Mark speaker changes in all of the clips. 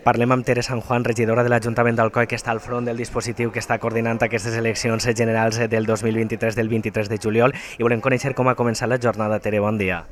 Speaker 1: Parlem amb Tere San Juan, regidora de l'Ajuntament d'Alcoi, que està al front del dispositiu que està coordinant aquestes eleccions generals del 2023, del 23 de juliol, i volem conèixer com ha començat la jornada. Tere, bon dia.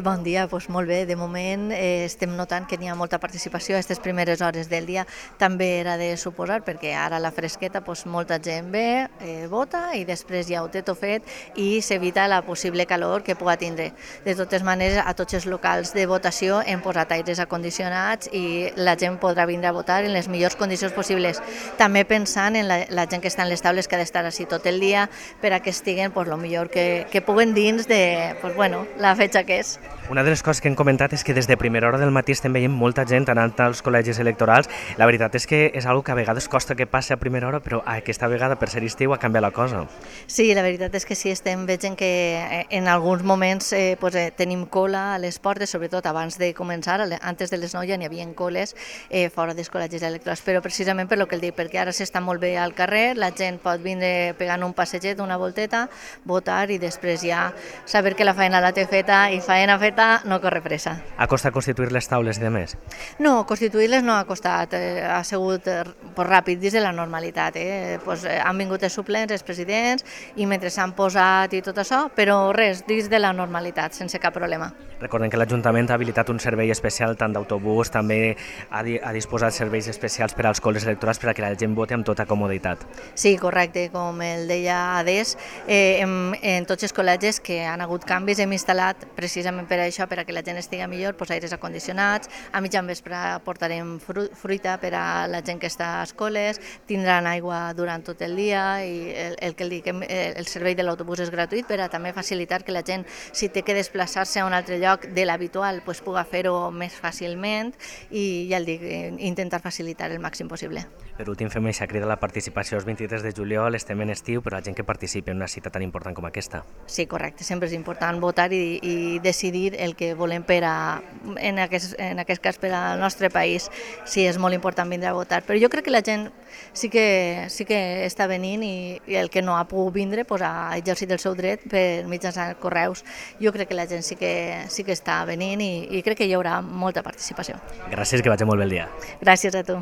Speaker 2: Bon dia, doncs molt bé. De moment estem notant que n'hi ha molta participació a aquestes primeres hores del dia. També era de suposar, perquè ara la fresqueta molta gent ve, vota i després ja ho té tot fet i s'evita la possible calor que pugui tindre. De totes maneres, a tots els locals de votació hem posat aires acondicionats i la gent podrà vindre a votar en les millors condicions possibles. També pensant en la gent que està en les taules que ha d'estar així tot el dia per a que estiguen el millor que puguen dins de la fetge que és.
Speaker 1: Una de les coses que hem comentat és que des de primera hora del matí estem veient molta gent anant als col·legis electorals. La veritat és que és una que a vegades costa que passi a primera hora, però aquesta vegada, per ser estiu, ha canviat la cosa.
Speaker 2: Sí, la veritat és que sí, estem veient que en alguns moments tenim cola a les portes, sobretot abans de començar, antes de les 9 ja n'hi havia coles fora dels col·legis electorals, però precisament per lo que el dic, perquè ara s'està molt bé al carrer, la gent pot vindre pegant un passeget, una volteta, votar i després ja saber que la feina la té feta i feina feta no corre pressa.
Speaker 1: Ha costat constituir les taules i de més?
Speaker 2: No, constituir-les no ha costat, ha sigut ràpid dins de la normalitat. Han vingut els suplents, els presidents, i mentre s'han posat i tot això, però res, dins de la normalitat, sense cap problema.
Speaker 1: Recordem que l'Ajuntament ha habilitat un servei especial tant d'autobús, també ha disposat serveis especials per als col·legis electorals per a que la gent voti amb tota comoditat.
Speaker 2: Sí, correcte, com el deia Ades, en tots els col·legis que han hagut canvis hem instal·lat precisament per això, per a que la gent estigui millor, aires acondicionats, a mitjan vespre portarem fruita per a la gent que està a escoles, tindran aigua durant tot el dia i el servei de l'autobús és gratuït per a també facilitar que la gent, si té que desplaçar-se a un altre lloc de l'habitual, pugui fer-ho més fàcilment i ja el dic, intentar facilitar el màxim possible.
Speaker 1: Per últim, fem aquesta crida a la participació el 23 de juliol, estem en estiu, però la gent que participi en una cita tan important com aquesta.
Speaker 2: Sí, correcte, sempre és important votar i decidir el que volem en aquest cas per al nostre país. Sí, és molt important vindre a votar, però jo crec que la gent sí que està venint i el que no ha pogut vindre ha exercit el seu dret per mitjançant correus. Jo crec que la gent sí que està venint i crec que hi haurà molta participació.
Speaker 1: Gràcies, que vagi molt bé el dia.
Speaker 2: Gràcies a tu.